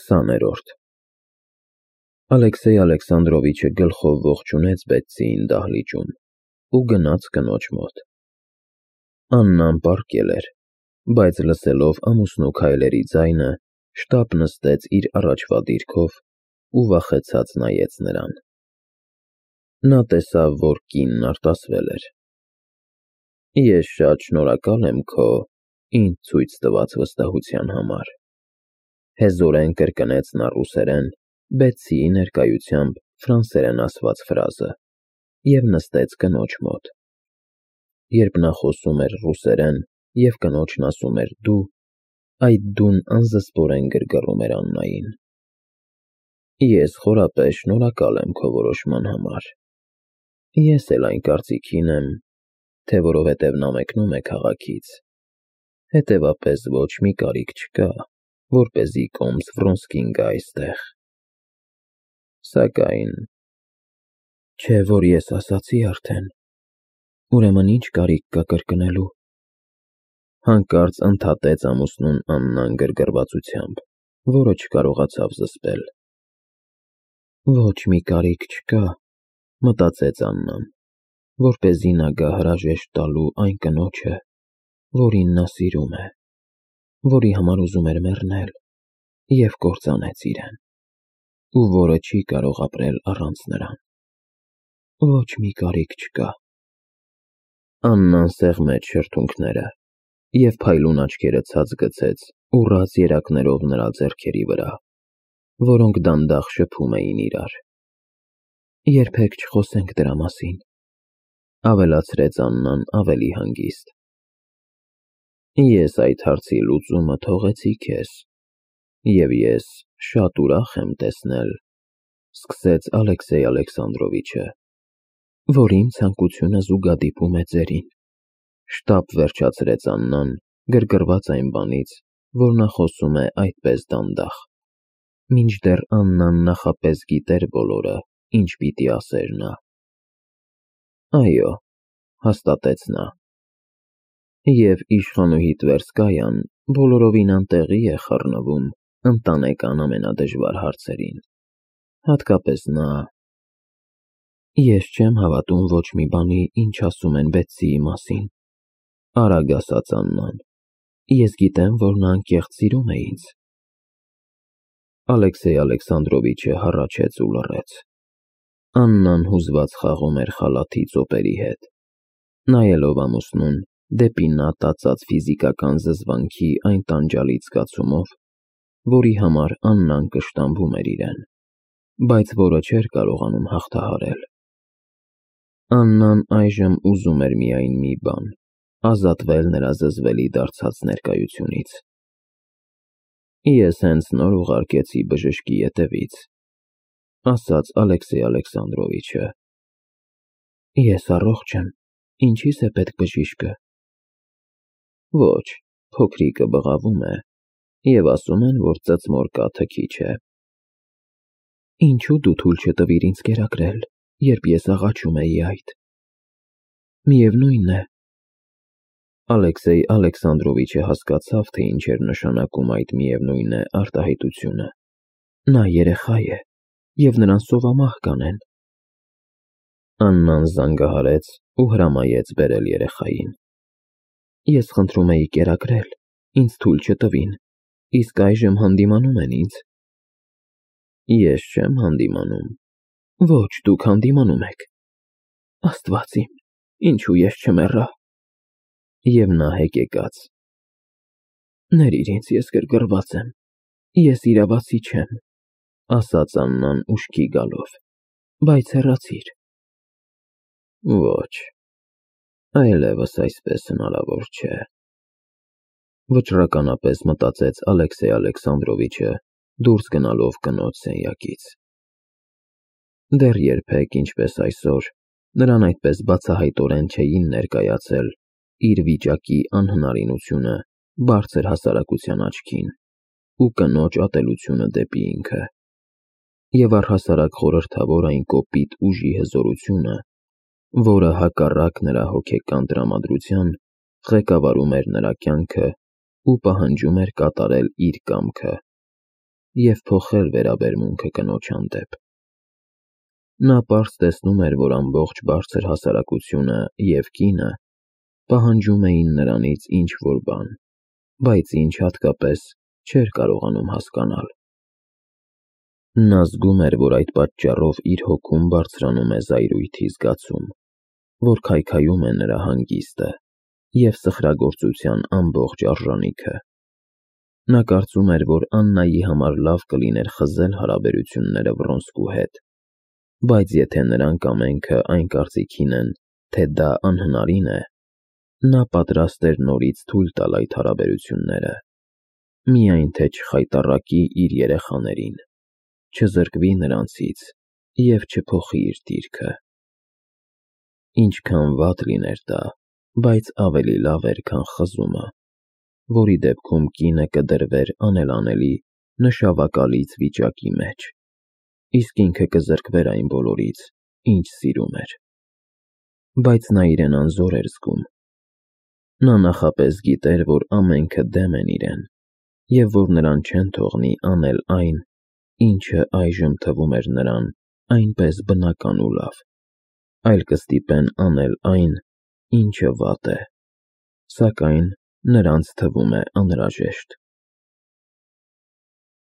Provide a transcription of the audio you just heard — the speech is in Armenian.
20-րդ Ալեքսեյ Ալեքսանդրովիչը գլխով ողջունեց Բեթսիին դահլիճում ու գնաց կնոջ մոտ։ Աննան պառկել էր, բայց լսելով ամուսնու քայլերի ձայնը, շտապ նստեց իր առաջվա դիրքով ու վախեցած նայեց նրան։ Նա տեսավ, որ կինն արտասվել էր։ Ես շատ շնորհակալ եմ քո ինձ ցույց տված վստահության համար, հեզորեն կրկնեց նա ռուսերեն Բեթսիի ներկայությամբ ֆրանսերեն ասված ֆրազը և նստեց կնոջ մոտ։ Երբ նա խոսում էր ռուսերեն և կնոջն ասում էր դու, այդ դուն անզսպորեն գրգռում էր Աննային։ Ես խորապես շնորհակալ եմ քո որոշման համար։ Ես էլ այն կարծիքին եմ, թե որովհետև նա մեկնում է քաղաքից, հետևապես ոչ մի կարիք չկա, որպեսզի կոմս Վրոնսկին գա այստեղ։ Սակայն… Չէ՞ որ ես ասացի արդեն, ուրեմն ինչ կարիք կա կրկնելու։ Հանկարծ ընդհատեց ամուսնուն Աննան գրգռվածությամբ, որը չկարողացավ զսպել։ Ոչ մի կարիք չկա, մտածեց Աննան, որպեսզի նա գա հրաժեշտ տալու այն կնոջը, որին նա սիրում է, որի համար ուզում էր մեռնել և կործանեց իրեն, ու որը չի կարող ապրել առանց նրան։ Ոչ մի կարիք չկա։ Աննան սեղմեց շրթունքները և փայլուն աչքերը ցած գցեց ուռած երակներով նրա ձեռքերի վրա, որոնք դանդաղ շփում էին իրար։ Երբեք չխոսենք դրա մասին, ավելացրեց Աննան ավելի հանգիստ։ Ես այդ հարցի լուծումը թողեցի քեզ, և ես շատ ուրախ եմ տեսնել, սկսեց Ալեքսեյ Ալեքսանդրովիչը, որ իմ ցանկությունը զուգադիպում է ձերին, շտապ վերջացրեց Աննան, գրգռված այն բանից, որ նա խոսում է այդպես դանդաղ, մինչդեռ Աննան նախապես գիտեր բոլորը, ինչ պիտի ասեր նա։ Այո, հաստատեց նա, և իշխանուհի Տվերսկայան բոլորովին անտեղի է խառնվում ընտանեկան ամենադժվար հարցերին, հատկապես նա… Ես չեմ հավատում ոչ մի բանի, ինչ ասում են Բեթսիի մասին, արագ ասաց Աննան, ես գիտեմ, որ նա անկեղծ սիրում է ինձ։ Ալեքսեյ Ալեքսանդրովիչը հառաչեց ու լռեց։ Աննան հուզված խաղում էր խալաթի ծոպերի հետ, նայելով ամուսնուն դեպի նա տածած ֆիզիկական զզվանքի այն տանջալից զգացումով, որի համար Աննան կշտամբում էր իրեն, բայց որը չէր կարողանում հաղթահարել։ Աննան այժմ ուզում էր միայն մի բան՝ ազատվել նրա զզվելի դարձած ներկայությունից։ Ես հենց նոր ուղարկեցի բժշկի ետևից, ասաց Ալեքսեյ Ալեքսանդրովիչը։ Ես առողջ եմ, ինչի՞ս է պետք բժիշկը։ Ոչ, փոքրիկը բղավում է, և ասում են, որ ծծմոր կաթը քիչ է։ Ինչու դու թույլ չտվիր ինձ կերակրել, երբ ես աղաչում էի այդ։ Միևնույն է… Ալեքսեյ Ալեքսանդրովիչը հասկացավ, թե ինչ էր նշանակում այդ միևնույն է արտահայտությունը։ Նա երեխա է, և նրան սովամահ կանեն։ Աննան զանգահարեց ու հրամայեց բերել երեխային։ Ես խնդրում էի կերակրել, ինձ թույլ չտվին, իսկ այժմ հանդիմանում են ինձ։ Ես չեմ հանդիմանում։ Ոչ, դուք հանդիմանում եք։ Աստված իմ, ինչու ես չմեռա։ Եվ նա հեկեկաց։ Ներիր ինձ, ես գրգռված եմ, ես իրավացի չեմ, ասաց Աննան ուշքի գալով, բայց հեռացիր։ Ոչ, այլևս այսպես հնարավոր չէ, վճռականապես մտածեց Ալեքսեյ Ալեքսանդրովիչը, դուրս գնալով կնոջ սենյակից։ Դեռ երբեք, ինչպես այսօր, նրան այդպես բացահայտորեն չէին ներկայացել իր վիճակի անհնարինությունը բարձր հասարակության աչքին ու կնոջ ատելությունը դեպի ինքը, և առհասարակ խորհրդավոր այն կոպիտ ուժի հզորությունը, որը հակառակ նրա հոգեկան տրամադրության ղեկավարում էր նրա կյանքը ու պահանջում էր կատարել իր կամքը, և փոխել վերաբերմունքը կնոջ հանդեպ։ Նա պարզ տեսնում էր, որ ամբողջ բարձր հասարակությունը և կինը պահանջում էին նրանից ինչ-որ բան, բայց ինչ հատկապես չէր կարողանում հասկանալ։ Նա զգում էր, որ այդ պատճառով իր հոգում բարձրանում է զայրույթի զգացում, որ քայքայում է նրա հանգիստը և սխրագործության ամբողջ արժանիքը։ Նա կարծում էր, որ Աննայի համար լավ կլիներ խզել հարաբերությունները Վռոնսկու հետ, բայց եթե նրանք ամենքը այն կարծիքին են, թե դա անհնարին է, նա պատրաստ էր նորից թույլ տալ այդ հարաբերությունները, միայն թե չխայտառակի իր երեխաներին, չզրկվի նրանցից և չփոխի իր դիրքը։ Ինչքան վատ լիներ դա, բայց ավելի լավ էր, քան խզումը, որի դեպքում կինը կդրվեր անելանելի, նշավակալից վիճակի մեջ, իսկ ինքը կզրկվեր այն բոլորից, ինչ սիրում էր։ Բայց նա իրեն անզոր էր զգում։ Նա նախապես գիտեր, որ ամենքը դեմ են իրեն, և որ նրան չեն թողնի անել այն, ինչը այժմ թվում էր նրան այնպես բնական ու լավ, այլ կստիպեն անել այն, ինչը վատ է, սակայն նրանց թվում է անհրաժեշտ։